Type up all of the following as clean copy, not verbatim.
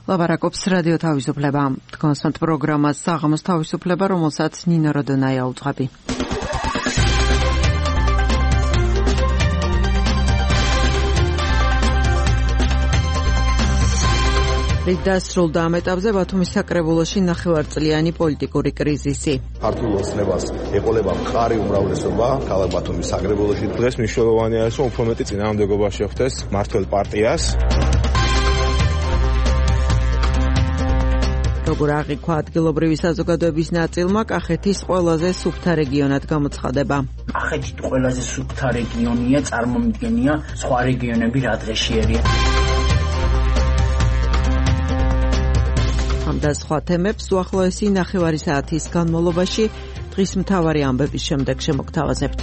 ლაპარაკობს რადიო თავისუფლება. თქვენს პროგრამას საღამოს თავისუფლება, რომელსაც ნინო როდონაია უძღვები. რით დასრულდა ამ ეტაპზე ბათუმის საკრებულოში ნახევარწლიანი პოლიტიკური კრიზისი. ქართულ ოცნებას ეყოლება მხარი უმრავლესობა ქალაქ ბათუმის საკრებულოში. დღეს მნიშვნელოვანია ის, რომ უფრო მეტი წინააღმდეგობა შეხვდეს მმართველ პარტიას. როგორ აღიქვა ადგილობრივი საზოგადოების ნაწილმა, კახეთის ყველაზე სუფთა რეგიონად გამოცხადება. კახეთი ყველაზე სუფთა რეგიონია, წარმომიდგენია სხვა რეგიონები რა დღეშიერია. ამ და სხვა თემებს უახლოესი ნახევარი საათის განმავლობაში დღის მთავარი ამბების შემდეგ შემოგთავაზებთ.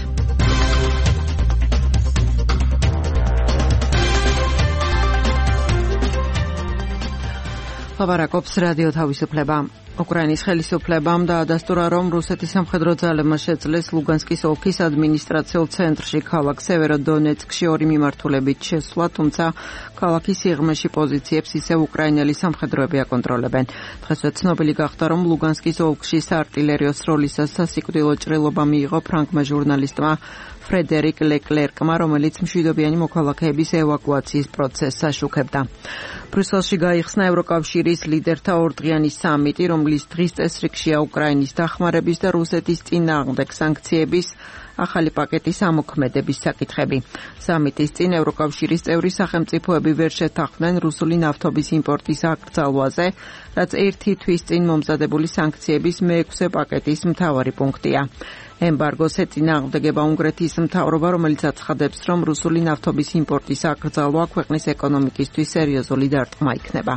ლაპარაკობს რადიო თავისუფლება. უკრაინის ხელისუფლებამ დაადასტურა, რომ რუსეთის სამხედრო ძალებმა შეძლეს ლუგანსკის ოლქის ადმინისტრაციულ ცენტრში ქალაქ სევეროდონეცკში ორი მიმართულებით შესვლა, თუმცა ქალაქის სიღრმეში პოზიციებს ისევ უკრაინელი სამხედროები აკონტროლებენ. დღესვე ცნობილი გახდა, რომ ლუგანსკის ოლქში საარტილერიო სროლისას სასიკვდილო ჭრილობა მიიღო ფრანგმა ჟურნალისტმა ფრედერიკ ლეკლერკმა, რომელიც მშვიდობიანი მოქალაქეების ევაკუაციის პროცესს აშუქებდა. ბრიუსელში გაიხსნა ევროკავშირის ლიდერთა ორდღიანი სამიტი, რომლის დღის წესრიგშია უკრაინის დახმარების და რუსეთის წინააღმდეგ სანქციების ახალი პაკეტის ამოქმედების საკითხები. სამიტის წინ ევროკავშირის წევრი სახელმწიფოები ვერ შეთანხმდნენ რუსული ნავთობის იმპორტის აკრძალვაზე, რაც ერთი თვის წინ მომზადებული სანქციების მეექვსე პაკეტის მთავარი პუნქტია. ემბარგოს ეწინააღმდეგება უნგრეთის მთავრობა, რომელიც აცხადებს, რომ რუსული ნავთობის იმპორტის აკრძალვა ქვეყნის ეკონომიკისთვის სერიოზული დარტყმა იქნება.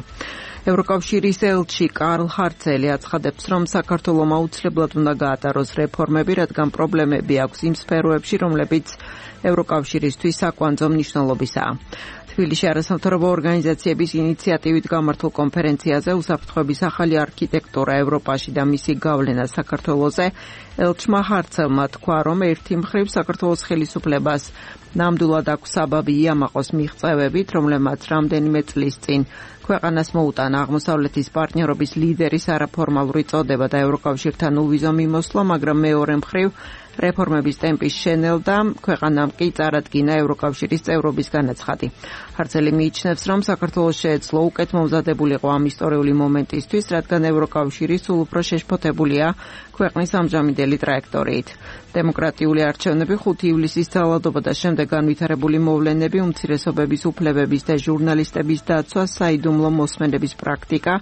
ევროკავშირის ელჩი კარლ ჰარცელი აცხადებს, რომ საქართველომ აუცილებლად უნდა გაატაროს რეფორმები, რადგან პრობლემები აქვს იმ სფეროებში, რომლებიც ევროკავშირისთვის საკვანძო მნიშვნელობისაა. თბილისში არასამთავრობო ორგანიზაციების ინიციატივით გამართულ კონფერენციაზე უსაფრთხოების ახალი არქიტექტურა ევროპაში და მისი გავლენა საქართველოზე ელჩმა ჰარცელმა თქვა, რომ ერთი მხრივ საქართველოს ხელისუფლებას ნამდვილად აქვს საბაბი იამაყოს მიღწევებით, რომლებმაც რამდენიმე წლის წინ ქვეყანას მოუტანა აღმოსავლეთის პარტნიორობის ლიდერის არაფორმალური წოდება და ევროკავშირთან უვიზო მიმოსვლა, მაგრამ მეორე მხრივ რეფორმების ტემპის შენელდა, ქვეყანამ კი წარადგინა ევროკავშირის წევრობის განაცხადი. ჰარცელი მიიჩნევს, რომ საქართველოს შეეძლო უკეთ მომზადებულიყო ამ ისტორიული მომენტისთვის, რადგან ევროკავშირი სულ უფრო შეშფოთებულია ქვეყნის ამჟამინდელი ტრაექტორიით. დემოკრატიული არჩევნები 5 ივლისის ძალადობა და შემდეგ განვითარებული მოვლენები, უმცირესობების უფლებების და ჟურნალისტების დაცვა, საიდუმლო მოსმენების პრაქტიკა,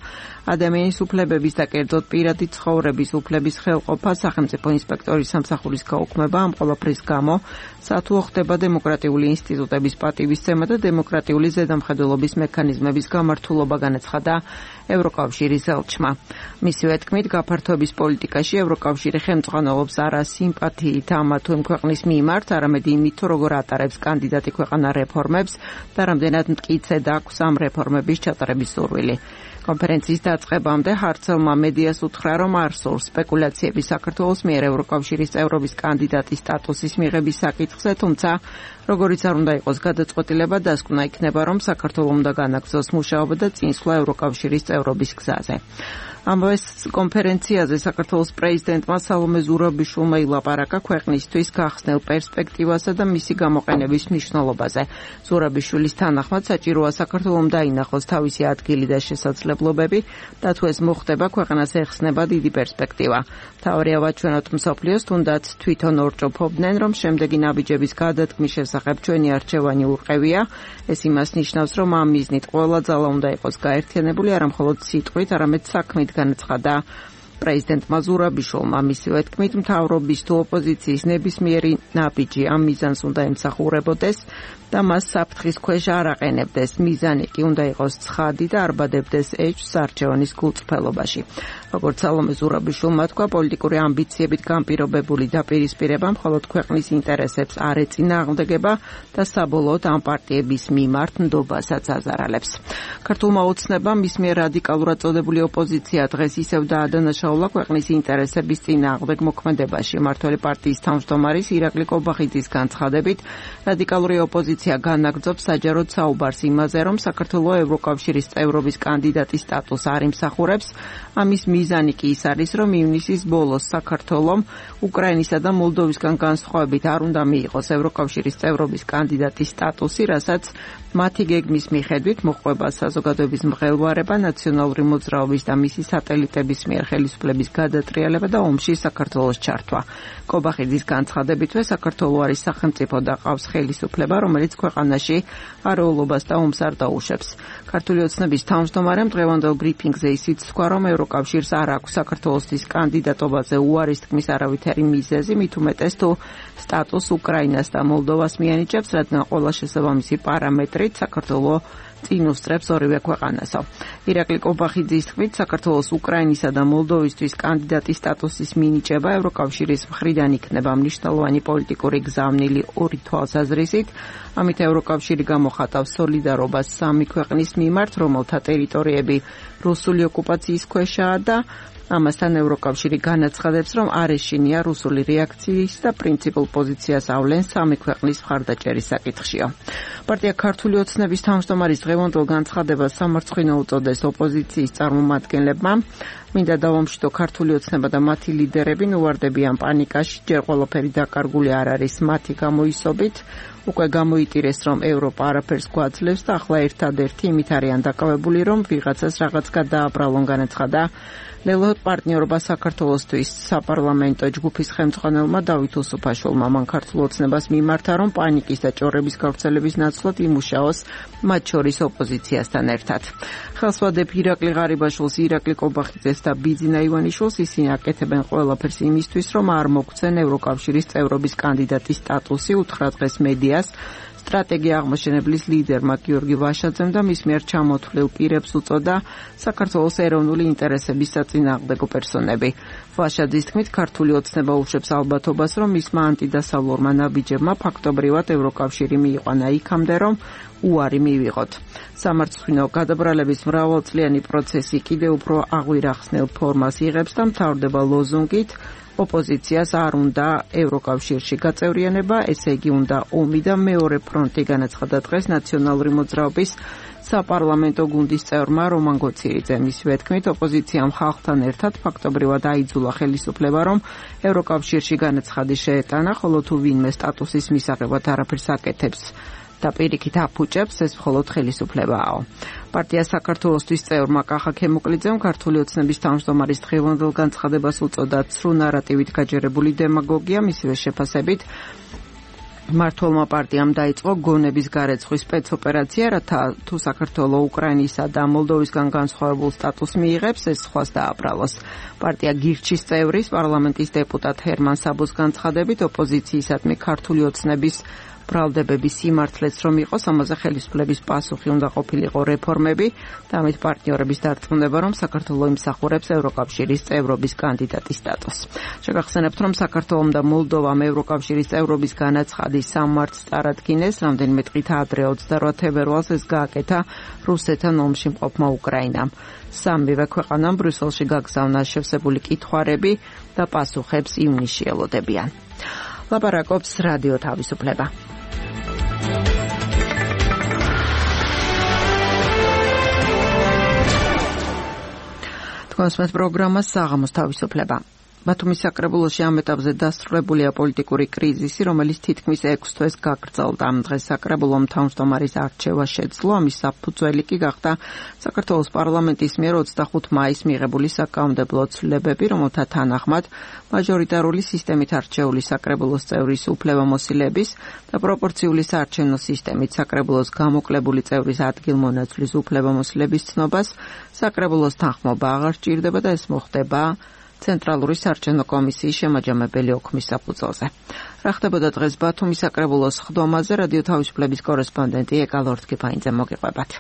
ადამიანის უფლებების და კერძოდ პირადი ცხოვრების უფლების ხელყოფა, სახელმწიფო ინსპექტორის სამსახურის გაუქმება, ამ ყველაფრის გამო სათუო ხდება დემოკრატიული ინსტიტუტების პატივისცემა და დემოკრატიული ზედამხედველობის მექანიზმების გამართულობა, განაცხადა ევროკავშირის ელჩმა. მისივე თქმით, გაფართოების პოლიტიკაში ევროკავშირი ხელმძღვანელობს არა სიმპათიით ამა თუ იმ ქვეყნის მიმართ, არამედ იმით, როგორ ატარებს კანდიდატი ქვეყანა რეფორმებს და რამდენად მტკიცედ აქვს ამ რეფორმების ჩატარების სურვილი. კონფერენციის დაწყებამდე ჰარცელმა მედიას უთხრა, რომ არ სურს სპეკულაციები საქართველოს მიერ ევროკავშირის წევრობის კანდიდატის სტატუსის მიღების საკითხზე, თუმცა როგორიც არ უნდა იყოს გადაწყვეტილება, დასკვნა იქნება, რომ საქართველოს უნდა განაგრძოს მუშაობა და წინსვლა ევროკავშირის წევრობის გზაზე. ამავე კონფერენციაზე საქართველოს პრეზიდენტმა სალომე ზურაბიშვილმა ილაპარაკა ქვეყნისთვის გახსნილ პერსპექტივასა და მისი გამოყენების მნიშვნელობაზე. ზურაბიშვილის თანახმად საჭიროა საქართველოს დაინახოს თავისი ადგილი და შესაძლებლობები და თუ ეს მოხდება, ქვეყანას ეხსნება დიდი პერსპექტივა. მთავარია ვაჩვენოთ მსოფლიოს, თუნდაც თვითონ ორჭოფობდნენ, რომ შემდეგი ნაბიჯების გადადგმის შესახებ ჩვენი არჩევანი ურყევია. ეს იმას ნიშნავს, რომ ამ მიზნით ყველა ძალა უნდა იყოს გაერთიანებული, არა მხოლოდ სიტყვით, არამედ საქმით, განაცხადა პრეზიდენტმა ზურაბიშვილმა. მისივე თქმით, მთავრობის თუ ოპოზიციის ნებისმიერი ნაბიჯი ამ მიზანს უნდა ემსახურებოდეს და მას საფრთხის ქვეშ არ აყენებდეს. მიზანი კი უნდა იყოს ცხადი და არ ბადებდეს ეჭვს არჩევანის გულწრფელობაში. როგორც სალომე ზურაბიშვილმა თქვა, პოლიტიკური ამბიციებით განპირობებული დაპირისპირება მხოლოდ ქვეყნის ინტერესებს არ ეწინააღმდეგება და საბოლოოდ ამ პარტიების მიმართ ნდობასაც აზარალებს. ქართულმა ოცნებამ მის მიერ რადიკალურად წოდებული ოპოზიცია დღეს ისევ დაადანაშაულა ქვეყნის ინტერესების წინააღმდეგ მოქმედებაში. მმართველი პარტიის თავმჯდომარის ირაკლი კობახიძის განცხადებით, რადიკალური ოპოზიცია განაგრძობს საჯაროდ საუბარს იმაზე, რომ საქართველოს ევროკავშირის წევრობის კანდიდატის სტატუსს არ იმსახურებს. ამის მიზანი კი ის არის, რომ ივნისის ბოლოს საქართველომ უკრაინისა და მოლდოვისგან განსხვავებით არ უნდა მიიღოს ევროკავშირის წევრობის კანდიდატის სტატუსი, რასაც მათი გეგმის მიხედვით მოჰყვება საზოგადოების მღელვარება, ნაციონალური მოძრაობის და მისი სატელიტების მიერ ხელისუფლების გადატრიალება და ომში საქართველოს ჩართვა. კობახიძის განცხადებითვე საქართველოს არის სახელმწიფო და ყავს ხელისუფლება, რომელიც ქვეყანაში არეულობას და ომს არ დაუშვებს. ქართული ოცნების თავმჯდომარემ დღევანდელ ბრიფინგზე ისიც თქვა, რომ ევროკავშირს არ აქვს საქართველოსთვის კანდიდატობაზე უარის თქმის არავითარი მიზეზი, მით უმეტეს თუ სტატუს უკრაინას და მოლდოვას მიანიჭებს, რადგან ყველა შესაბამისი პარამეტრით საქართველოს წინ უსწრებს ორივე ქვეყანასო. ირაკლი კობახიძის თქმით, საქართველოს უკრაინისა და მოლდოვისთვის კანდიდატის სტატუსის მინიჭება ევროკავშირის მხრიდან იქნება მნიშვნელოვანი პოლიტიკური გზავნილი ორი თვალსაზრისით. ამით ევროკავშირი გამოხატავს სოლიდარობას სამი ქვეყნის მიმართ, რომელთა ტერიტორიები რუსული ოკუპაციის ქვეშაა და ამასთან ევროკავშირი განაცხადებს, რომ არ ეშინია რუსული რეაქციის და პრინციპულ პოზიციას ავლენს სამი ქვეყნის მხარდაჭერის საკითხშიო. პარტია ქართული ოცნების თავმჯდომარის დღევანდელ განცხადებას სამარცხვინო უწოდეს ოპოზიციის წარმომადგენლებმა. მინდა დავამშვიდო, ქართული ოცნება და მათი ლიდერები უვარდებიან პანიკაში, ჯერ ყველაფერი დაკარგული არ არის მათი გამოისობით. უკვე გამოიტირეს, რომ ევროპა არაფერს გვაძლევს და ახლა ერთადერთი იმით არიან დაკავებული, რომ ვიღაცას რაღაც გადააბრალონ, განაცხადა ლელოთ პარტნიორობა საქართველოსთვის საპარლამენტო ჯგუფის ხელმძღვანელმა დავით უსუფაშვილმა. მან ქართულ ოცნებას მიმართა, რომ პანიკის და ჭორების გავრცელების ნაცვლად იმუშაოს მათ შორის ოპოზიციასთან ერთად. ხელს ვადებ ირაკლი ღარიბაშვილს, ირაკლი კობახიძეს და ბიძინა ივანიშვილს, ისინი აკეთებენ ყველაფერს იმისთვის, რომ არ მოგცენ ევროკავშირის წევრობის კანდიდატის სტატუსი, უთხრა დღეს მედიას სტრატეგია აღმაშენებლის ლიდერმა გიორგი ვაშაძემ და მის მიერ ჩამოთვლილ პირებს უწოდა საქართველოს ეროვნული ინტერესების საწინააღმდეგო პერსონები. ვაშაძის თქმით, ქართული ოცნება უშვებს ალბათობას, რომ მისმა ანტიდასავლურმა ნაბიჯებმა ფაქტობრივად ევროკავშირი მიიყვანა იქამდე, რომ უარი მივიღოთ. სამარცხვინო გადაბრალების მრავალწლიანი პროცესი კიდევ უფრო აღვირახსნელ ფორმას იღებს და მთავრდება ლოზუნგით ოპოზიციას არ უნდა ევროკავშირში გაწევრიანება, ესე იგი უნდა ომი და მეორე ფრონტი, განაცხადა დღეს ნაციონალური მოძრაობის საპარლამენტო გუნდის წევრმა რომან გოცირიძემ. მისივე თქმით, ოპოზიციამ ხალხთან ერთად ფაქტობრივად აიძულა ხელისუფლება, რომ ევროკავშირში განაცხადი შეეტანა, ხოლო თუ ვინმე სტატუსის მისაღებად არაფერს აკეთებს და პირიქით აფუჭებს, ეს მხოლოდ ხელისუფლებაა. პარტია საქართველოსთვის წევრმა კახა ქემუკლიძემ ქართული ოცნების თავმჯდომარის დღევანდელ განცხადებას უწოდა ცრუ ნარატივით გაჯერებული დემაგოგია. მისივე შეფასებით, მმართველმა პარტიამ დაიწყო გონების გარეცხვის სპეცოპერაცია, რათა თუ საქართველოს უკრაინისა და მოლდოვისგან განსხვავებულ სტატუსს მიიღებს, ეს სხვას დააბრალოს. პარტია გირჩის წევრის პარლამენტის დეპუტატ ჰერმან საბოს განცხადებით, ოპოზიციისადმი ქართული ოცნების ბრალდებების სიმართლეც რომ იყოს, ამაზე ხელისუფლების პასუხი უნდა ყოფილიყო რეფორმები და ამით პარტნიორების დარწმუნება, რომ საქართველოს იმსახურებს ევროკავშირის წევრობის კანდიდატის სტატუსს. შეგახსენებთ, რომ საქართველოს და მოლდოვამ ევროკავშირის წევრობის განაცხადის სამმარტს წარადგინეს, რამდენიმე დღით ადრე 28 თებერვალს ეს გააკეთა რუსეთთან ომში მყოფმა უკრაინამ. სამივე ქვეყანამ ბრიუსელში გაგზავნა შევსებული კითხვარები და პასუხებს ივნისში ელოდებიან. ლაპარაკობს რადიო თავისუფლება. თქვენს პროგრამას საღამოს თავისუფლება. ბათუმის საკრებულოში ამ ეტაპზე დასრულებულია პოლიტიკური კრიზისი, რომელიც თითქმის 6 თვეს გაგრძელდა. დღეს საკრებულომ თავმჯდომარის არჩევა შეძლო, ამის საფუძველი კი გახდა საქართველოს პარლამენტის მიერ 25 მაისს მიღებული საკანონმდებლო ცვლილებები, რომელთა თანახმად მაჟორიტარული სისტემით არჩეული საკრებულოს წევრის უფლებამოსილების და პროპორციული საარჩევნო სისტემით საკრებულოს გამოკლებული წევრის ადგილმონაცვლის უფლებამოსილების ცნობას საკრებულოს თანხმობა აღარ სჭირდება და ეს მოხდება ცენტრალური საარჩევნო კომისიის შემაჯამებელი ოქმის საფუძველზე. რა ხდებოდა დღეს ბათუმის საკრებულოს ხდომაზე, რადიო თავისუფლების კორესპონდენტი ეკა ლორთქიფაინძე მოგიყვებათ.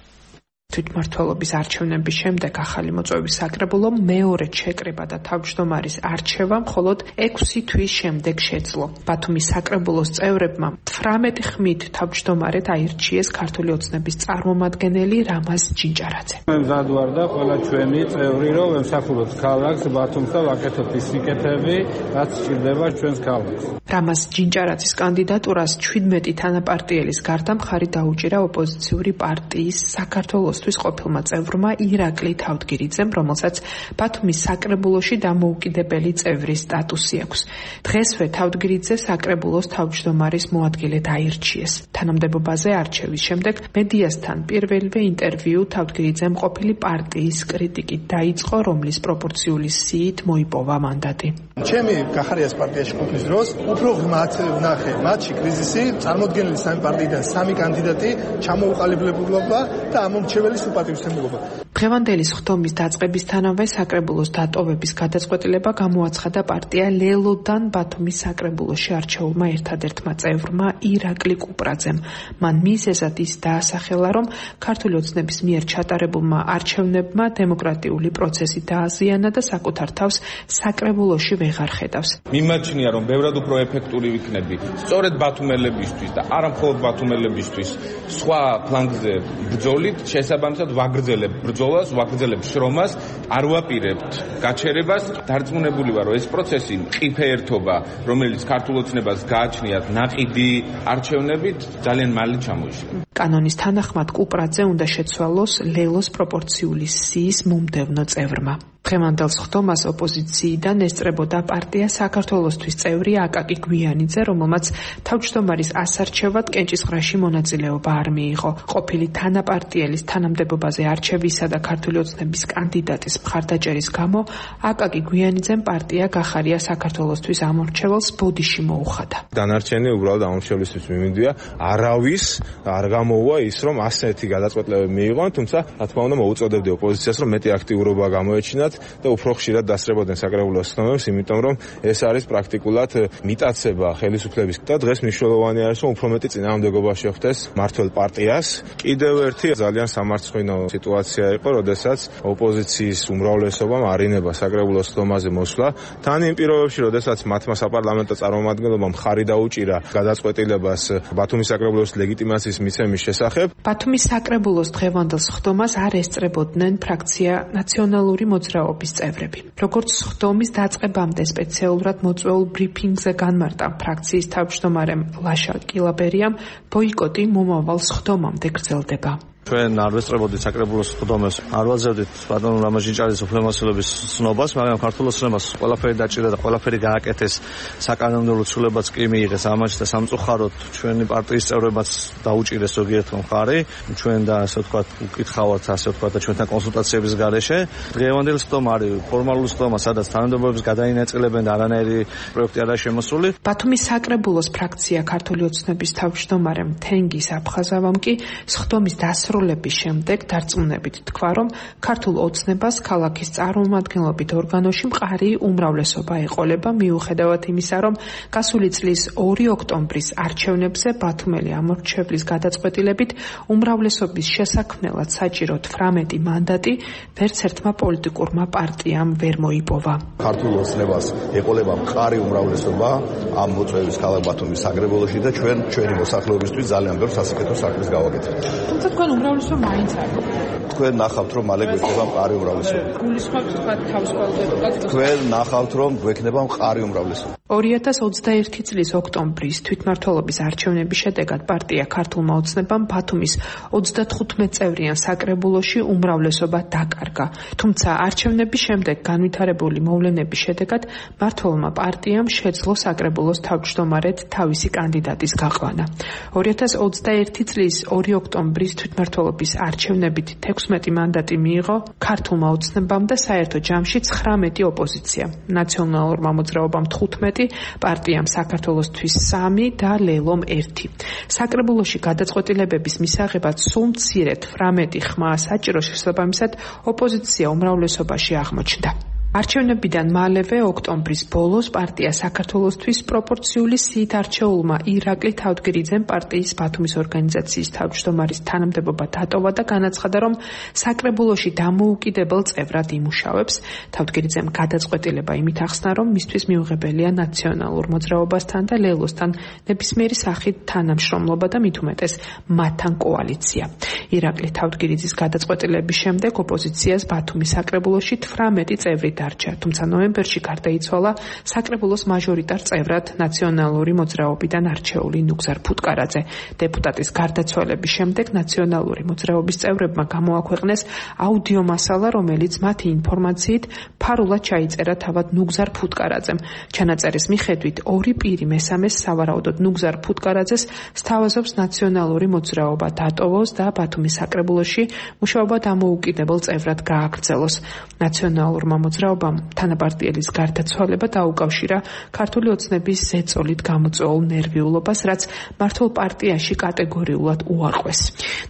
თვითმმართველობის არჩევნების შემდეგ ახალი მოწვევის საკრებულო მეორედ შეკრება და თავმჯდომარის არჩევა მხოლოდ 6 თვის შემდეგ შეძლო. ბათუმის საკრებულოს წევრებმა 18 ხმით თავმჯდომარედ აირჩიეს ქართული ოცნების წარმომადგენელი რამაზ ჯინჭარაძე. მე მზად ვარ და ყველა ჩვენი წევრი რომ ემსახუროთ ქალაქს ბათუმს და ვაკეთოთ ის სიკეთები, რაც სჭირდება ჩვენს ქალაქს. რამაზ ჯინჭარაძის კანდიდატურას 17 თანაპარტიელის გარდა მხარი დაუჭირა ოპოზიციური პარტიის საქართველოსთვის ყოფილმა წევრმა ირაკლი თავდგირიძემ, რომელსაც ბათუმის საკრებულოში დამოუკიდებელი წევრის სტატუსი აქვს. დღესვე თავდგირიძე საკრებულოს თავმჯდომარის მოადგილედ აირჩიეს. თანამდებობაზე არჩევის შემდეგ მედიასთან პირველივე ინტერვიუ თავდგირიძემ ყოფილი პარტიის კრიტიკით დაიწყო, რომლის პროპორციული სიით მოიპოვა მანდატი. ჩემი გახარიას პარტიაში ყოფნის დროს უფრო ღრმად ვნახე მათში კრიზისი, წარმოდგენილი სამი პარტიიდან სამი კანდიდატი, ჩამოუყალიბებულობა და ამომრჩეველი სუპატივისმცემლობა. დღევანდელი სხდომის დაწყებისთანავე საკრებულოს დატოვების გადაწყვეტილება გამოაცხადა პარტია ლელოდან ბათუმის საკრებულოში არჩეულმა ერთადერთმა წევრმა ირაკლი კუპრაძემ. მან მიზეზად ის დაასახელა, რომ ქართული ოცნების მიერ ჩატარებულმა არჩევნებმა დემოკრატიული პროცესი დააზიანა და საკუთარ თავს საკრებულოში ვეღარ ხედავს. მიმაჩნია, რომ ბევრად უფრო ეფექტური ვიქნები სწორედ ბათუმელებისთვის და არა მხოლოდ ბათუმელებისთვის სხვა ფლანგზე ბრძოლით, შესაბამისად ვაგრძელებ ბრძოლას, ვაგრძელებ შრომას, არ ვაპირებთ გაჩერებას. დარწმუნებული ვარ, რომ ეს პროცესი მყიფე ერთობა, რომელიც ქართულ ოცნებას გააჩნიათ ნაყიდი არჩევნებით, ძალიან მალე ჩამოიშლება. კანონის თანახმად კუპრაძე უნდა შეცვალოს ლელოს პროპორციული სიის მომდევნო წევრმა. დღევანდელ სხდომას ოპოზიციიდან ესწრებოდა პარტია საქართველოსთვის წევრი აკაკი გვიანიძე, რომელმაც თავმჯდომარის ასარჩევად კენჭისყრაში მონაწილეობა არ მიიღო. ყოფილი თანაპარტიელის თანამდებობაზე არჩევისა და ქართული ოცნების კანდიდატის მხარდაჭერის გამო აკაკი გვიანიძემ პარტია გახარია საქართველოსთვის ამორჩეველს ბოდიში მოუხადა. დანარჩენი უბრალოდ ამორჩევლისთვის მიმინდვია, არავის არ გამოუვა ის, რომ ასეთი გადაწყვეტილებები მიიღონ, თუმცა რა თქმა უნდა მოუწოდებდი ოპოზიციას, რომ მეტი აქტიურობა გამოეჩინათ და უფრო ხშირად დასწრებოდნენ საკრებულოს სხდომებს, იმიტომ რომ ეს არის პრაქტიკულად მიტაცება ხელისუფლების და დღეს მნიშვნელოვანი არის, რომ უფრო მეტი წინააღმდეგობა შეხვდეს მმართველ პარტიას. კიდევ ერთი ძალიან სამარცხვინო სიტუაცია იყო, როდესაც ოპოზიციის უმრავლესობამ არინება საკრებულოს სხდომაზე მოსვლა. თან იმ პირობებში, როდესაც მათმა საპარლამენტო წარმომადგენლობამ მხარი დაუჭირა გადაწყვეტილებას ბათუმის საკრებულოს ლეგიტიმაციის მიცემის შესახებ. ბათუმის საკრებულოს დღევანდელ სხდომას არ ესწრებოდნენ ფრაქცია ნაციონალური მოძრაობის წევრები. როგორც სხდომის დაწყებამდე სპეციალურად მოწვეულ ბრიფინგზე განმარტა ფრაქციის თავმჯდომარემ ლაშა კილაბერიამ, ბოიკოტი მომავალ სხდომამდე გრძელდება. ჩვენ არ ვესწრებოდით საკრებულოს სხდომებს, არ ვაძლევდით ბატონ რამაზ ჯინჭარაძის უფლებამოსილების ცნობას, მაგრამ ქართულ ოცნებას ყველაფერი დაჭირდა და ყველაფერი გააკეთეს, საკანონმდებლო ცვლილებაც კი მიიღეს ამაში და სამწუხაროდ ჩვენი პარტიის წევრებმაც დაუჭირეს ზოგიერთმა მხარი, ჩვენ და ასე ვთქვათ უკითხავთ, ასე ვთქვათ და ჩვენთან კონსულტაციების გარეშე. დღევანდელი სხდომა არის ფორმალური სხდომა, სადაც თანამდებობებს გადაინაწილებენ და არანაირი პროექტი არა შემოსული. ბათუმის საკრებულოს ფრაქცია ქართული ოცნების თავმჯდომარემ თენგის აფხაზავამ კი სხდომის დასრულების შემდეგ დარწმუნებით თქვა, რომ ქართულ ოცნებას ქალაქის წარმომადგენლობით ორგანოში მყარი უმრავლესობა ეყოლება, მიუხედავად იმისა, რომ გასული წლის 2 ოქტომბრის არჩევნებზე ბათუმელი ამორჩევლის გადაწყვეტილებით უმრავლესობის შესაქმნელად საჭირო 18 მანდატი ვერც ერთმა პოლიტიკურმა პარტიამ ვერ მოიპოვა. ქართულ ოცნებას ეყოლება მყარი უმრავლესობა ამ მოწვევის ქალაქ ბათუმის საკრებულოში და ჩვენი მოსახლეობისთვის ძალიან ბევრ სასიკეთო საქმეს გავაკეთებთ. თუმცა თქვენ უმრავლესობა მაინც არ თქვენ ნახავთ, რომ მალე გვექნება მყარი უმრავლესობა. გულისხმობთ თქვა თავისუფალებას. თქვენ ნახავთ, რომ გვექნება მყარი უმრავლესობა. 2021 წლის ოქტომბრის თვითმმართველობის არჩევნების შედეგად პარტია ქართულმა ოცნებამ ბათუმის 35 წევრიან საკრებულოში უმრავლესობა დაკარგა. თუმცა არჩევნების შემდეგ განვითარებული მოვლენების შედეგად მმართველმა პარტიამ შეძლო საკრებულოს თავმჯდომარედ თავისი კანდიდატის გაყვანა. 2021 წლის 2 ოქტომბრის თვითმმართველობის არჩევნებით 16 მანდატი მიიღო ქართულმა ოცნებამ და საერთო ჯამში 19 ოპოზიცია. ნაციონალურმა მოძრაობამ 15, პარტიამ საქართველოსთვის 3 და ლელომ 1. საკრებულოში გადაწყვეტილებების მისაღებად სულ მცირედ 18 ხმა საჭირო შესაბამისად ოპოზიცია უმრავლესობაში აღმოჩნდა. არჩევნებიდან მალევე ოქტომბრის ბოლოს პარტია საქართველოსთვის პროპორციული სიით არჩეულმა ირაკლი თავდგირიძემ პარტიის ბათუმის ორგანიზაციის თავმჯდომარის თანამდებობა დატოვა და განაცხადა, რომ საკრებულოში დამოუკიდებელ წევრად იმუშავებს. თავდგირიძემ გადაწყვეტილება იმით ახსნა, რომ მისთვის მიუღებელია ნაციონალურ მოძრაობასთან და ლელოსთან ნებისმიერი სახით თანამშრომლობა და მით უმეტეს მათთან კოალიცია. ირაკლი თავდგირიძის გადაწყვეტილების შემდეგ ოპოზიციას ბათუმის საკრებულოში 18 წევრი დარჩა, თუმცა ნოემბერში გარდაიცვალა საკრებულოს მაჟორიტარ წევრად ნაციონალური მოძრაობიდან არჩეული ნუგზარ ფუტკარაძე. დეპუტატის გარდაცვალების შემდეგ ნაციონალური მოძრაობის წევრებმა გამოაქვეყნეს აუდიო მასალა, რომელიც მათი ინფორმაციით ფარულად ჩაიწერა თავად ნუგზარ ფუტკარაძემ. ჩანაწერის მიხედვით ორი პირი მესამეს სავარაუდოდ ნუგზარ ფუტკარაძეს სთავაზობს ნაციონალური მოძრაობა დატოვოს და ბათუმის საკრებულოში მუშაობა დამოუკიდებელ წევრად გააგრძელოს. ნაციონალურმა მოძრაობამ თანაპარტიელის გარდაცვალება დაუკავშირა ქართული ოცნების ზეწოლით გამოწვეულ ნერვიულობას, რაც მართლ პარტიაში კატეგორიულად უარყვეს.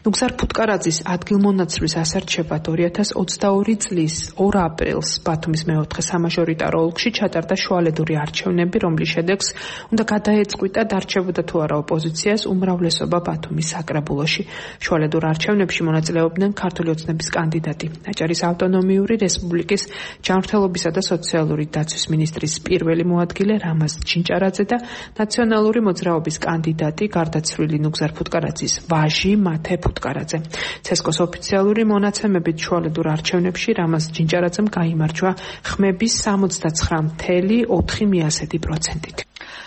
ნუგზარ ფუტკარაძის ადგილმონაცვლის ასარჩევად 2022 წლის 2 აპრილს ბათუმის მეოთხე სამაჟორიტარო ოლქში ჩატარდა შუალედური არჩევნები, რომლის შედეგს უნდა გადაეწყვიტა დარჩებოდა თუ არა ოპოზიციას უმრავლესობა ბათუმის საკრებულოში. შუალედურ არჩევნებში მონაწილეობდნენ ქართული ოცნების კანდიდატი, აჭარის ავტონომიური რესპუბლიკის ჯანმრთელობისა და სოციალური დაცვის მინისტრის პირველი მოადგილე რამაზ ჩინჭარაძე და ნაციონალური მოძრაობის კანდიდატი გარდაცვლილი ნუგზარ ფუტკარაძის ვაჟი მათე ფუტკარაძე. ცესკოს ოფიციალური მონაცემებით შუალედურ არჩევნებში რამაზ ჩინჭარაძემ გაიმარჯვა ხმების 69.4%-ით.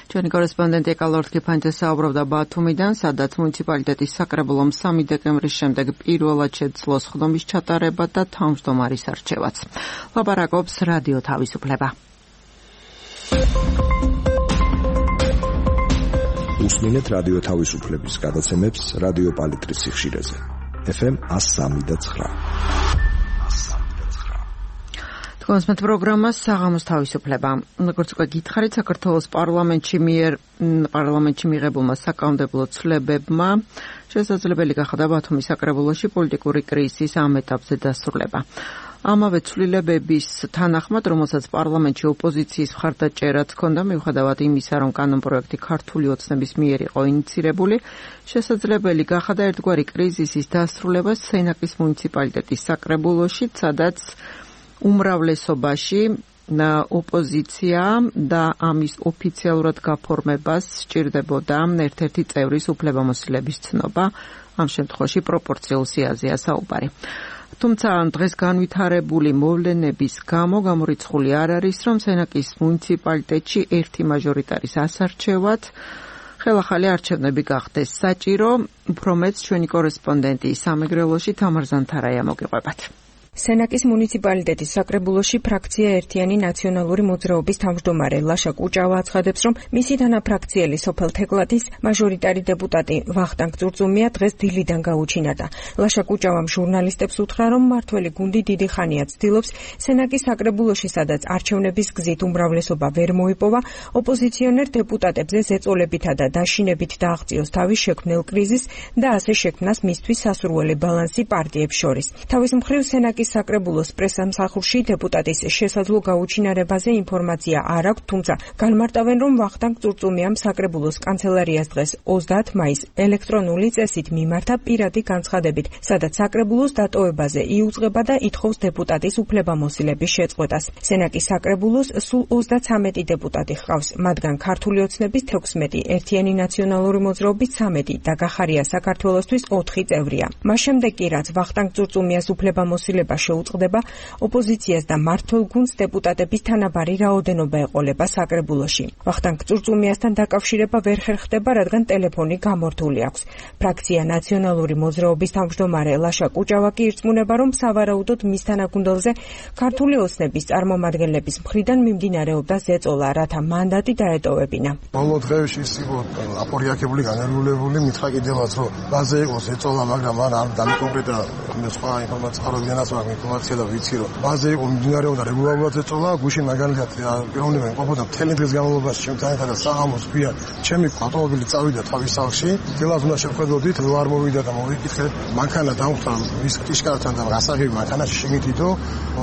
ჩვენი კორესპონდენტი ეკალორთ კიფანიძე საუბრობდა ბათუმიდან, სადაც მუნიციპალიტეტის საკრებულომ 3 დეკემბრის შემდეგ პირველად შეძლო სხდომის ჩატარება და თავმჯდომარის არჩევაც. ლაპარაკობს რადიო თავისუფლება. უსმინეთ რადიო თავისუფლების გადაცემებს რადიო პალიტრის სიხშირეზე. FM 103.9. კონსმეთ პროგრამა საღამოს თავისუფლება. როგორც უკვე გითხარით, საქართველოს პარლამენტში მიღებულმა საკანონმდებლო ცვლილებებმა შესაძლებელი გახადა ბათუმის საკრებულოში პოლიტიკური კრიზისის ამ ეტაპზე დასრულება. ამავე ცვლილებების თანახმად, რომელსაც პარლამენტში ოპოზიციის მხარდაჭერაც ჰქონდა, მიუხედავად იმისა, რომ კანონპროექტი ქართული ოცნების მიერ იყო ინიცირებული, შესაძლებელი გახადა ერთგვარი კრიზისის დასრულება სენაკის მუნიციპალიტეტის საკრებულოში, სადაც უმრავლესობაში ოპოზიცია და ამის ოფიციალურად გაფორმებას სჭირდებოდა ერთ-ერთი წევრის უფლებამოსილების ცნობა, ამ შემთხვევაში პროპორციულ სიაზეა საუბარი. თუმცა დღეს განვითარებული მოვლენების გამო გამორიცხული არ არის, რომ სენაკის მუნიციპალიტეტში ერთი მაჟორიტარის ასარჩევად ხელახალი არჩევნები გახდეს საჭირო. უფრო მეც ჩვენი კორესპონდენტი სამეგრელოში თამარ ზანთარაია მოგიყვებათ. სენაკის მუნიციპალიტეტის საკრებულოში ფრაქცია ერთიანი ნაციონალური მოძრაობის თავმჯდომარე ლაშა კუჭავა აცხადებს, რომ მისი თანაფრაქციელი სოფელ თეკლათის მაჟორიტარი დეპუტატი ვახტანგ წურწუმია დღეს დილიდან გაუჩინარდა. ლაშა კუჭავამ ჟურნალისტებს უთხრა, რომ მართველი გუნდი დიდი ხანია ცდილობს სენაკის საკრებულოში, სადაც არჩევნების გზით უმრავლესობა ვერ მოიპოვა, ოპოზიციონერ დეპუტატებზე ზეწოლებითა და დაშინებით დააღწიოს თავის შექმნილ კრიზისს და ასე შექმნას მისთვის სასურველი ბალანსი პარტიებს შორის. თავის მხრივ სენაკის საკრებულოს პრესამსახურში დეპუტატის შესაძლო გაუჩინარებაზე ინფორმაცია არ აქვს, თუმცა განმარტავენ, რომ ვახტანგ წურწუმიამ საკრებულოს კანცელარიას დღეს 30 მაისს ელექტრონული წესით მიმართა პირადი განცხადებით, სადაც საკრებულოს დატოვებაზე იუწყება და ითხოვს დეპუტატის უფლებამოსილების შეწყვეტას. სენაკის საკრებულოს სულ 33 დეპუტატი ჰყავს, მათგან ქართული ოცნების 16, ერთიანი ნაციონალური მოძრაობის 13 და გახარია საქართველოსთვის 4 წევრია. მას შემდეგ კი რაც ვახტანგ წურწუმიას უფლებამოსილება შეუწყდება, ოპოზიციას და მმართველ გუნდს დეპუტატების თანაბარი რაოდენობა ეყოლება საკრებულოში. ვახტანგ წურწუმიასთან დაკავშირება ვერ ხერხდება, რადგან ტელეფონი გამორთული აქვს. ფრაქცია ნაციონალური მოძრაობის თავმჯდომარე ლაშა კუჭავა კი ირწმუნება, რომ სავარაუდოდ მის თანაგუნდელზე ქართული ოცნების წარმომადგენლების მხრიდან მიმდინარეობდა ზეწოლა, რათა მანდატი დაეტოვებინა. ბოლო დღეებში ის იყო აპორიაქებული, განერგულებული, მითხრა კიდევაც, რომ ბაზე იყო ზეწოლა, მაგრამ არ დამიკონკრეტა სხვა ინფორმაცია ხარობიდანაც, მაგრამ მაგრამ ინფორმაცია და ვიცი რომ ბაზე იყო მიმდინარეობდა რეგულარულად ეწოლა გუშინ მაგალითად პიროვნებები ყოფოდა მთელი დღის განმავლობაში ჩემთან ერთად და საღამოს ქვია ჩემი ავტომობილი წავიდა თავის სახლში დილას უნდა შევხედოდით რო არ მოვიდა და მოვიკითხეთ მანქანა დამხვდა ის ტიშკართან და გასაღები მანქანაში შემიტიდო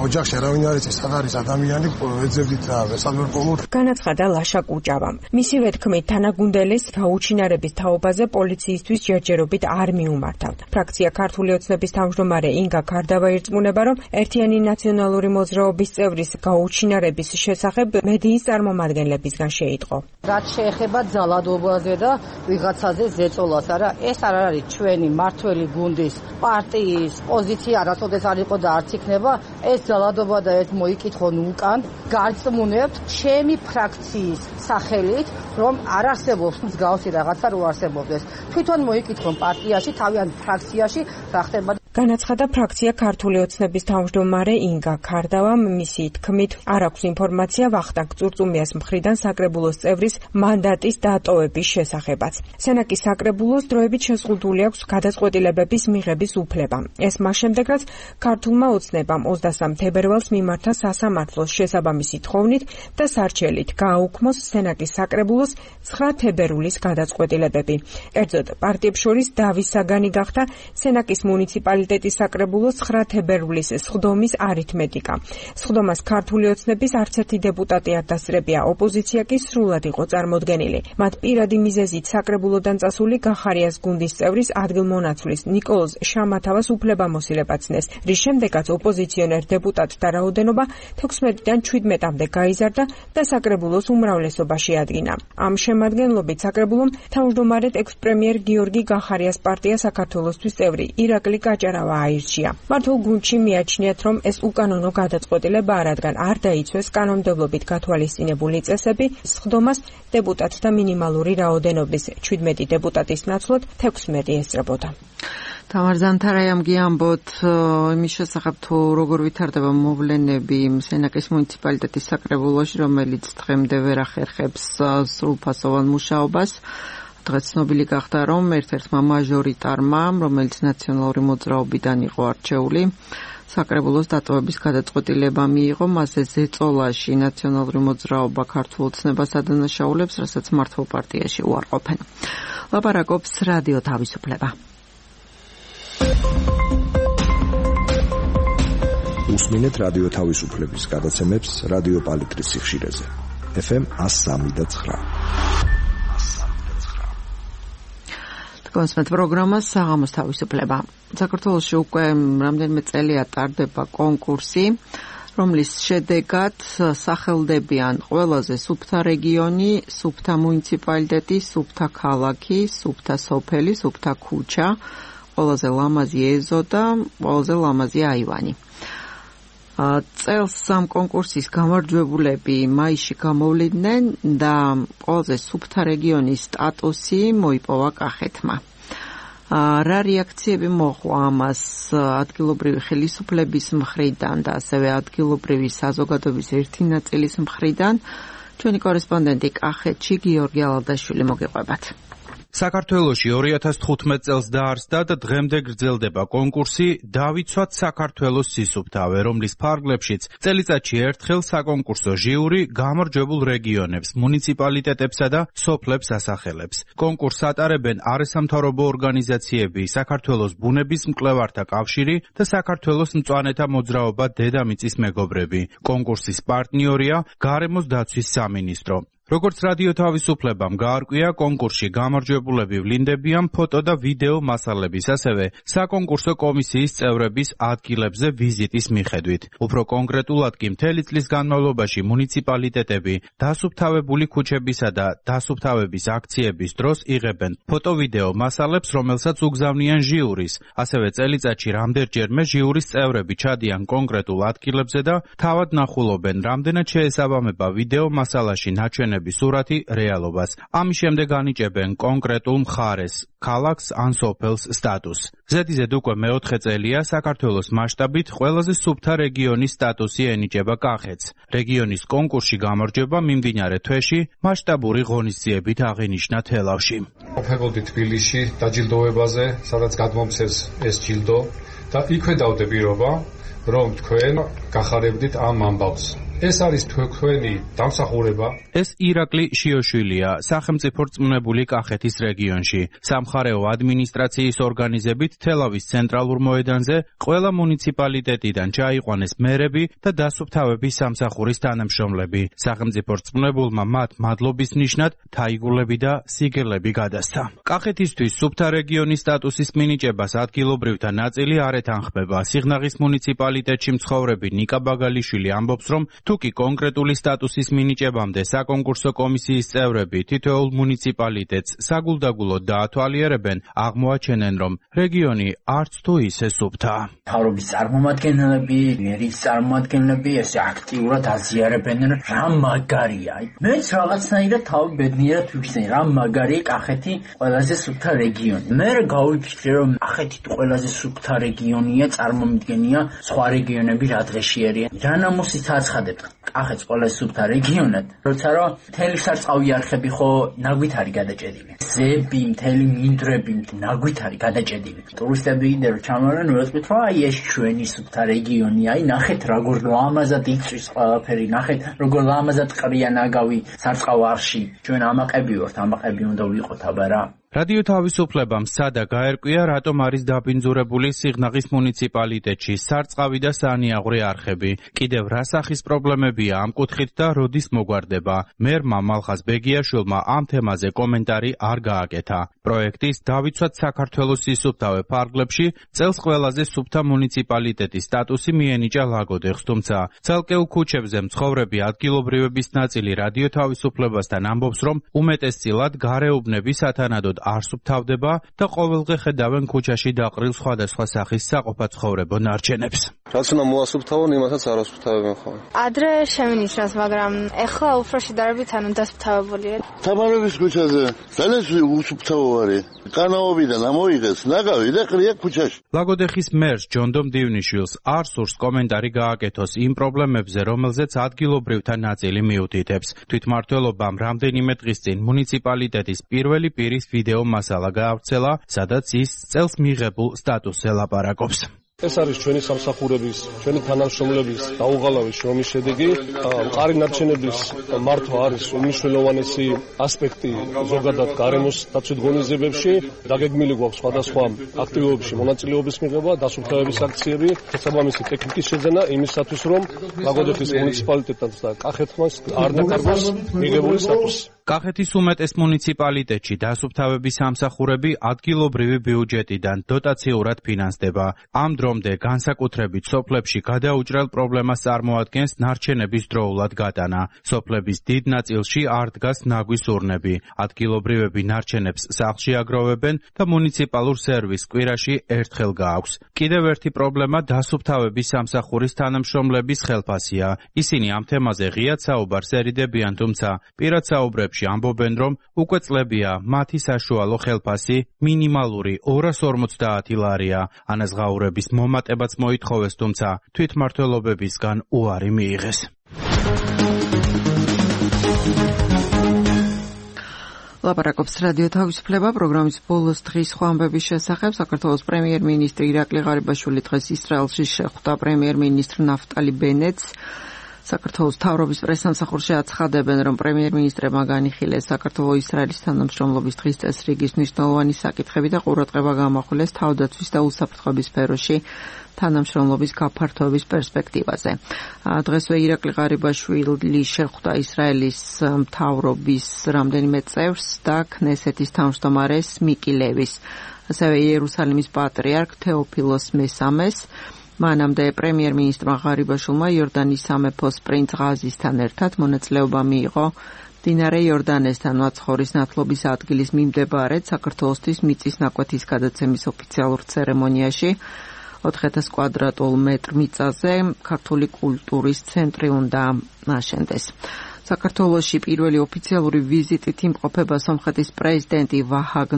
ოჯახში არავინ არ იცის სად არის ადამიანი ეძებდით და ვესალმერყოლოთ განაცხადა ლაშა კუჭავამ მისივე თქმით თანაგუნდელის გაუჩინარების თაობაზე პოლიციისთვის ჯერჯერობით არ მიუმართავთ ფრაქცია ქართული ოცნების თავმჯდომარე ინგა ქარდავა ირწმუნება რომ ერთიანი ნაციონალური მოძრაობის წევრის გაუჩინარების შესახებ მედიის წარმომადგენლებისგან შეიტყო რაც შეეხება ძალადობაზე და ვიღაცაზე ზეწოლას არა ეს არ არის ჩვენი მართველი გუნდის პარტიის პოზიცია არასოდეს არ იყო და არც იქნება ეს ძალადობა და ეს მოიკითხონ უკან გარწმუნებთ ჩემი ფრაქციის სახელით რომ არ არსებობს მსგავსი რაღაცა რო არსებობდეს თვითონ მოიკითხონ პარტიაში თავიანთ ფრაქციაში რა ხდება განაცხადა ფრაქცია ქართული ოცნების თავმჯდომარე ინგა ქარდავამ მისი თქმით არ აქვს ინფორმაცია ვახტანგ წურწუმიას მხრიდან საკრებულოს წევრის მანდატის დატოვების შესახებაც სენაკის საკრებულოს დროებით შეზღუდული აქვს გადაწყვეტილებების მიღების უფლება ეს მას შემდეგ რაც ქართულმა ოცნებამ 23 თებერვალს მიმართა სასამართლოს შესაბამისი თხოვნით და სარჩელით გააუქმოს სენაკის საკრებულოს 9 თებერვლის გადაწყვეტილებები ერთზოდ პარტიებს შორის დავის საგანი გახდა სენაკის მუნიციპალიტეტის საკრებულოს 9 თებერვლის სხდომის არითმეტიკა სხდომას ქართული ოცნების არც ერთი დეპუტატი არ დასწრებია ოპოზიცია კი სრულად იყო წარმოდგენილი მათ პირადი მიზეზით საკრებულოდან წასული გახარიას გუნდის წევრის ადგილმონაცვლის ნიკოლოზ შამათავას უფლებამოსილება ცნეს რის შემდეგაც ოპოზიციონერ დეპუტატთა რაოდენობა 16-დან 17-მდე გაიზარდა და საკრებულოს უმრავლესობაში ადგინა ამ შემადგენლობით საკრებულომ თავმჯდომარედ ექს-პრემიერ გიორგი გახარიას პარტია საქართველოსთვის წევრი ირაკლი გაჭარავა აირჩია მართულ გუნდში მიაჩნიათ რომ ეს უკანონო გადაწყვეტილება რადგან არ დაიცვეს კანონმდებლობით გათვალისწინებული წესები სხდომას დეპუტატთა მინიმალური რაოდენობის 17 დეპუტატის ნაცვლად 16 ესწრებოდა თამარ ზანთარაიამ გიამბოთ იმის შესახებ თუ როგორ ვითარდება მოვლენები სენაკის მუნიციპალიტეტის საკრებულოში რომელიც დღემდე ვერ ახერხებს სრულფასოვან მუშაობას დღეს ცნობილი გახდა რომ ერთ-ერთმა მაჟორიტარმა რომელიც ნაციონალური მოძრაობიდან იყო არჩეული საკრებულოს დატოვების გადაწყვეტილება მიიღო მასზე ზეწოლაში ნაციონალური მოძრაობა ქართულ ოცნებას ადანაშაულებს რასაც მართლ პარტიაში უარყოფენ ლაპარაკობს რადიო თავისუფლება უსმინეთ რადიო თავისუფლების გადაცემებს რადიო პალიტრის სიხშირეზე FM 103.9 კონსმეთ პროგრამა საღამოს თავისუფლება საქართველოში უკვე რამდენიმე წელია ტარდება კონკურსი რომლის შედეგად სახელდებიან ყველაზე სუფთა რეგიონი, სუფთა მუნიციპალიტეტი, სუფთა ქალაქი, სუფთა სოფელი, სუფთა ქუჩა, ყველაზე ლამაზი ეზო და ყველაზე ლამაზი აივანი. წელს ამ კონკურსის გამარჯვებულები მაისში გამოვლიდნენ და ყველაზე სუფთა რეგიონის სტატუსი მოიპოვა კახეთმა. რა რეაქციები მოჰყვა ამას ადგილობრივი ხელისუფლების მხრიდან და ასევე ადგილობრივი საზოგადოების ერთი ნაწილის მხრიდან? ჩვენი კორესპონდენტი კახეთში გიორგი ალადაშვილი მოგიყვებათ. საქართველოში 2015 წელს დაარსდა და დღემდე გრძელდება კონკურსი დავიცვათ საქართველოს სისუფთავე, რომლის ფარგლებშიც წელიწადში ერთხელ საკონკურსო ჟიური გამარჯვებულ რეგიონებს, მუნიციპალიტეტებსა და სოფლებს ასახელებს. კონკურსს ატარებენ არასამთავრობო ორგანიზაციები, საქართველოს ბუნების მკვლევართა კავშირი და საქართველოს მწვანეთა მოძრაობა დედამიწის მეგობრები. კონკურსის პარტნიორია გარემოს დაცვის სამინისტრო. როგორც რადიო თავისუფლებამ გაარკვია, კონკურსში გამარჯვებულები ვლინდებიან ფოტო და ვიდეო მასალების, ასევე საკონკურსო კომისიის წევრების ადგილებზე ვიზიტის მიხედვით. უფრო კონკრეტულად კი მთელი წლის განმავლობაში მუნიციპალიტეტები დასუფთავებული ქუჩებისა და დასუფთავების აქციების დროს იღებენ ფოტო-ვიდეო მასალებს, რომელსაც უგზავნიან ჟიურის. ასევე წელიწადში რამდენჯერმე ჟიურის წევრები ჩადიან კონკრეტულ ადგილებზე და თავად ნახულობენ, რამდენად შეესაბამება ვიდეო მასალაში ნაჩვენები სურათი რეალობას. ამის შემდეგ ანიჭებენ კონკრეტულ მხარეს, ქალაქს ან სოფელს სტატუსს. ზედიზედ უკვე მეოთხე წელია საქართველოს მასშტაბით ყველაზე სუფთა რეგიონის სტატუსი ენიჭება კახეთს. რეგიონის კონკურსში გამარჯვება მიმდინარე თვეში მასშტაბური ღონისძიებით აღინიშნა თელავში. ვფერხდი თბილისში დაჯილდოებაზე, სადაც გადმომცეს ეს ჯილდო და იქვე დავდე პირობა რომ თქვენ გახარებდით ამ ამბავს. ეს არის თქვენი დამსახურება. ეს ირაკლი შიოშვილია, სახელმწიფო რწმუნებული კახეთის რეგიონში. სამხარეო ადმინისტრაციის ორგანიზებით თელავის ცენტრალურ მოედანზე ყველა მუნიციპალიტეტიდან ჩაიყვანეს მერები და დასუფთავების სამსახურის თანამშრომლები. სახელმწიფო რწმუნებულმა მათ მადლობის ნიშნად თაიგულები და სიგელები გადასცა. კახეთისთვის სუფთა რეგიონის სტატუსის მინიჭებას ადგილობრივთა ნაწილი არ ეთანხმება. სიღნაღის მუნიციპალიტეტში მცხოვრები ნიკა ბაგალიშვილი ამბობს, რომ თუკი კონკრეტული სტატუსის მინიჭებამდე საკონკურსო კომისიის წევრები თითოეულ მუნიციპალიტეტს საგულდაგულოდ დაათვალიერებენ, აღმოაჩენენ, რომ რეგიონი არც თუ ისე სუფთაა. მთავრობის წარმომადგენლები, მერის წარმომადგენლები ესე აქტიურად აზიარებენ, რა მაგარია. მეც რაღაცნაირად თავი ბედნიერად ვიქცენ, რა მაგარია კახეთი ყველაზე სუფთა რეგიონი. მე გავიფიქრე, რომ კახეთი ყველაზე სუფთა რეგიონია, წარმომიდგენია სხვა რეგიონები რა დღეშიერია. რა ნამუსით აცხადებთ კახეთს ყველაზე სუფთა რეგიონად, როცა რომ მთელი სარწყავი არხები ხო ნაგვით არის გადაჭედილი. ზები, მთელი მინდვრები ნაგვით არის გადაჭედილი. ტურისტები იმდენ ჩამოვარენ, ვეცდით, რომ აი ეს ჩვენი სუფთა რეგიონია, აი ნახეთ როგორ ლამაზად იწვის ყველაფერი, ნახეთ როგორ ლამაზად ყრია ნაგავი სარწყავ არხში. ჩვენ ამაყები ვართ, ამაყები უნდა ვიყოთ აბა რა. რადიო თავისუფლებამ სადა გაერკვია, რატომ არის დაბინძურებული სიღნაღის მუნიციპალიტეტში სარწყავი და სანიაღვრე არხები. კიდევ რა სახის პრობლემებია ამ კუთხით და როდის მოგვარდება. მერმა მალხაზ ბეგიაშვილმა ამ თემაზე კომენტარი არ გააკეთა. პროექტის დავიცვათ საქართველოს სისუფთავე ფარგლებში წელს ყველაზე სუფთა მუნიციპალიტეტის სტატუსი მიენიჭა ლაგოდეხს, თუმცა ცალკეულ ქუჩებზე მცხოვრები ადგილობრივების ნაწილი რადიო თავისუფლებასთან ამბობს, რომ უმეტესწილად გარეუბნები სათანადოდ არ სუფთავდება და ყოველდღე ხედავენ ქუჩაში დაყრილ სხვადასხვა სახის საყოფაცხოვრებო ნარჩენებს. რაც უნდა მოასუფთავონ, იმასაც არ ასუფთავებენ ხოლმე. ადრე შემინიშნავს, მაგრამ ეხლა უფრო შედარებით დასუფთავებულია. თამარების ქუჩაზე ძალიან უსუფთავო არის. კანაობიდან ამოიღეს ნაგავი და ყრია ქუჩაში. ლაგოდეხის მერს ჯონდომ დივნიშვილს არ სურს კომენტარი გააკეთოს იმ პრობლემებზე, რომელზეც ადგილობრივთა ნაწილი მიუთითებს. თვითმმართველობამ რამდენიმე დღის წინ მუნიციპალიტეტის პირველი პირის ვიდეო მასალა გაავრცელა, სადაც ის წელს მიღებულ სტატუსზე ლაპარაკობს. ეს არის ჩვენი სამსახურების, ჩვენი თანამშრომლების დაუღალავი შრომის შედეგი. მყარი ნარჩენების მართვა არის უმნიშვნელოვანესი ასპექტი ზოგადად გარემოს დაცვით ღონისძიებებში. დაგეგმილი გვაქვს სხვადასხვა აქტივობებში მონაწილეობის მიღება, დასუფთავების აქციები, შესაბამისი ტექნიკის შეძენა იმისათვის, რომ ლაგოდეხის მუნიციპალიტეტს და კახეთს არ დაკარგოს მიღებული სტატუსი. კახეთის უმეტეს მუნიციპალიტეტში დასუფთავების სამსახურები ადგილობრივი ბიუჯეტიდან დოტაციურად ფინანსდება. ამ დრომდე განსაკუთრებით სოფლებში გადაუჭრელ პრობლემას წარმოადგენს ნარჩენების დროულად გატანა. სოფლების დიდ ნაწილში არ დგას ნაგვის ურნები. ადგილობრივები ნარჩენებს სახლში აგროვებენ და მუნიციპალურ სერვისს კვირაში ერთხელ გააქვს. კიდევ ერთი პრობლემა დასუფთავების სამსახურის თანამშრომლების ხელფასია. ისინი ამ თემაზე ღიად საუბარს ერიდებიან, თუმცა პირად საუბრებში ამბობენ, რომ უკვე წლებია მათი საშუალო ხელფასი მინიმალური 250 ლარია. ანაზღაურების მომატებაც მოითხოვეს, თუმცა თვითმმართველობებისგან უარი მიიღეს. ლაპარაკობს რადიო თავისუფლება პროგრამის ბოლოს დღის სხვა ამბების შესახებ. საქართველოს პრემიერ-მინისტრი ირაკლი ღარიბაშვილი დღეს ისრაელში შეხვდა პრემიერ-მინისტრ ნაფტალი ბენეტს. საქართველოს მთავრობის პრესსამსახურში აცხადებენ, რომ პრემიერ-მინისტრებმა განიხილეს საქართველოს-ისრაელის თანამშრომლობის დღის წესრიგის მნიშვნელოვანი საკითხები და ყურადღება გამახვილეს თავდაცვის და უსაფრთხოების სფეროში თანამშრომლობის გაფართოების პერსპექტივაზე. დღესვე ირაკლი ღარიბაშვილი შეხვდა ისრაელის მთავრობის რამდენიმე წევრს და ქნესეთის თავმჯდომარეს მიკი ლევის, ასევე იერუსალიმის პატრიარქ თეოფილოს მესამეს. მანამდე პრემიერ-მინისტრმა ღარიბაშვილმა იორდანის სამეფოს პრინც ღაზისთან ერთად მონაწილეობა მიიღო მდინარე იორდანესთან მაცხოვრის ნათლობის ადგილის მიმდებარედ საქართველოსთვის მიწის ნაკვეთის გადაცემის ოფიციალურ ცერემონიაში 4000 კვადრატულ მეტრ მიწაზე ქართული კულტურის ცენტრი უნდა აშენდეს. საქართველოში პირველი ოფიციალური ვიზიტით იმყოფება სომხეთის პრეზიდენტი ვაჰაგ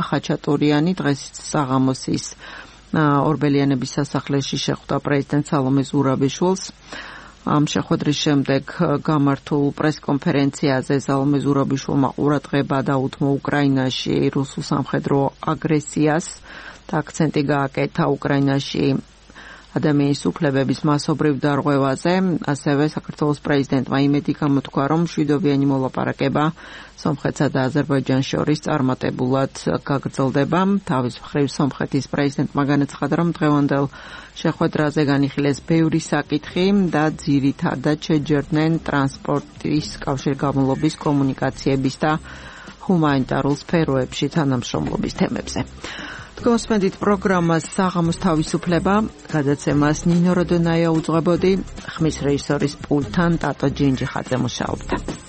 ხაჩატურიანი. დღეს საღამოსის ორბელიანების სასახლეში შეხვდა პრეზიდენტ სალომე ზურაბიშვილს. ამ შეხვედრის შემდეგ გამართულ პრესკონფერენციაზე სალომე ზურაბიშვილმა ყურადღება დაუთმო უკრაინაში რუსულ სამხედრო აგრესიას და აქცენტი გააკეთა უკრაინაში ადამიანის უფლებების მასობრივ დარღვევაზე, ასევე საქართველოს პრეზიდენტმა იმედი გამოთქვა, რომ მშვიდობიანი მოლაპარაკება სომხეთსა და აზერბაიჯანს შორის წარმატებულად გაგრძელდება. თავის მხრივ სომხეთის პრეზიდენტმა განაცხადა, რომ დღევანდელ შეხვედრაზე განიხილეს ბევრი საკითხი და ძირითადად შეჯერდნენ ტრანსპორტის კავშირგაბმულობის, კომუნიკაციების და ჰუმანიტარულ სფეროებში თანამშრომლობის თემებზე. გოსმენდით პროგრამას საღამოს თავისუფლება, გადაცემას ნინო როდონაია უძღვებოდი, ხმის რეჟისორის პულტთან ტატო ჯინჯიხაძე მუშაობდა.